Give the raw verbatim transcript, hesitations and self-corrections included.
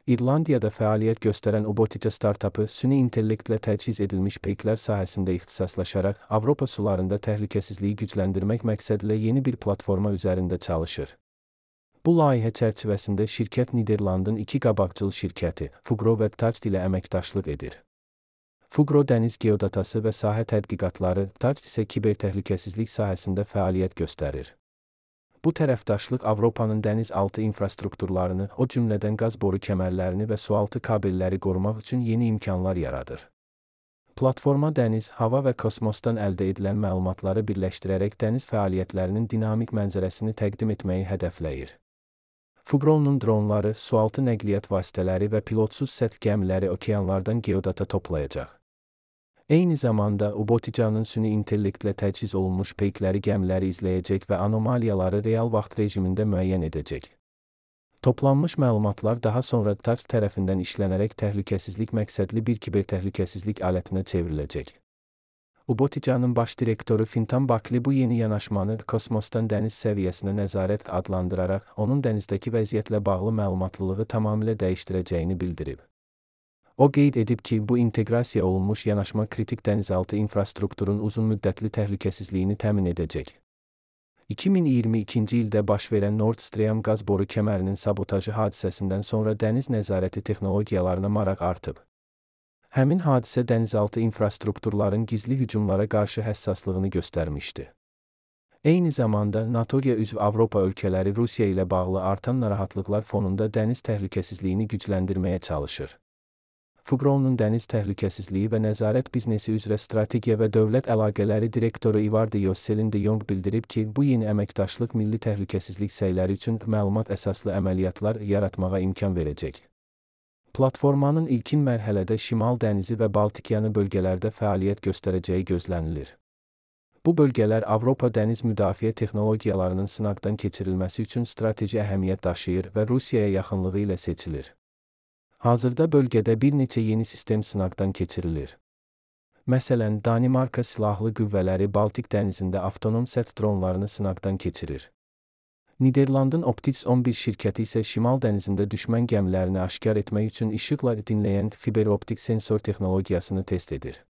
İrlandiyada fəaliyyət göstərən Ubotica startapı süni intellektlə təchiz edilmiş peyklər sahəsində ixtisaslaşaraq Avropa sularında təhlükəsizliyi gücləndirmək məqsədilə yeni bir platforma üzərində çalışır. Bu layihə çərçivəsində şirkət Niderlandın iki qabaqcıl şirkəti, Fugro və Tacd ilə əməkdaşlıq edir. Fugro dəniz geodatası və sahə tədqiqatları, Tacd isə kibertəhlükəsizlik sahəsində fəaliyyət göstərir. Bu tərəfdaşlıq Avropanın dənizaltı infrastrukturlarını, o cümlədən qaz boru kəmərlərini və sualtı kabelləri qorumaq üçün yeni imkanlar yaradır. Platforma dəniz, hava və kosmosdan əldə edilən məlumatları birləşdirərək dəniz fəaliyyətlərinin dinamik mənzərəsini təqdim etməyi hədəfləyir. Fugro'nun dronları, sualtı nəqliyyat vasitələri və pilotsuz səth gəmiləri okeanlardan geodata toplayacaq. Eyni zamanda Ubotica'nın süni intellektlə təchiz olunmuş peykləri gəmiləri izləyəcək və anomaliyaları real vaxt rejimində müəyyən edəcək. Toplanmış məlumatlar daha sonra Tacd tərəfindən işlənərək təhlükəsizlik məqsədli bir kibertəhlükəsizlik alətinə çevriləcək. Ubotica'nın baş direktoru Fintan Buckley bu yeni yanaşmanı kosmosdan dəniz səviyyəsinə nəzarət adlandıraraq, onun dənizdəki vəziyyətlə bağlı məlumatlılığı tamamilə dəyişdirəcəyini bildirib. O qeyd edib ki, bu inteqrasiya olunmuş yanaşma kritik dənizaltı infrastrukturun uzunmüddətli təhlükəsizliyini təmin edəcək. iki min iyirmi ikinci ildə baş verən Nord Stream qaz boru kəmərinin sabotajı hadisəsindən sonra dəniz nəzarəti texnologiyalarına maraq artıb. Həmin hadisə dənizaltı infrastrukturların gizli hücumlara qarşı həssaslığını göstərmişdi. Eyni zamanda NATO'ya üzv Avropa ölkələri Rusiya ilə bağlı artan narahatlıqlar fonunda dəniz təhlükəsizliyini gücləndirməyə çalışır. Fugro'nun dəniz təhlükəsizliyi və nəzarət biznesi üzrə strategiya və dövlət əlaqələri direktoru Ivardi Yosselin de Jong bildirib ki, bu yeni əməkdaşlıq milli təhlükəsizlik səyləri üçün məlumat əsaslı əməliyyatlar yaratmağa imkan verəcək. Platformanın ilkin mərhələdə Şimal dənizi və Baltikyanı bölgələrdə fəaliyyət göstərəcəyi gözlənilir. Bu bölgələr Avropa dəniz müdafiə texnologiyalarının sınaqdan keçirilməsi üçün strateji əhəmiyyət daşıyır və Rusiyaya yaxınlığı ilə seçilir. Hazırda bölgədə bir neçə yeni sistem sınaqdan keçirilir. Məsələn, Danimarka silahlı qüvvələri Baltik dənizində avtonom səth dronlarını sınaqdan keçirir. Niderlandın Optis on bir şirkəti isə Şimal dənizində düşmən gəmilərini aşkar etmək üçün işıqla dinləyən fiberoptik sensor texnologiyasını test edir.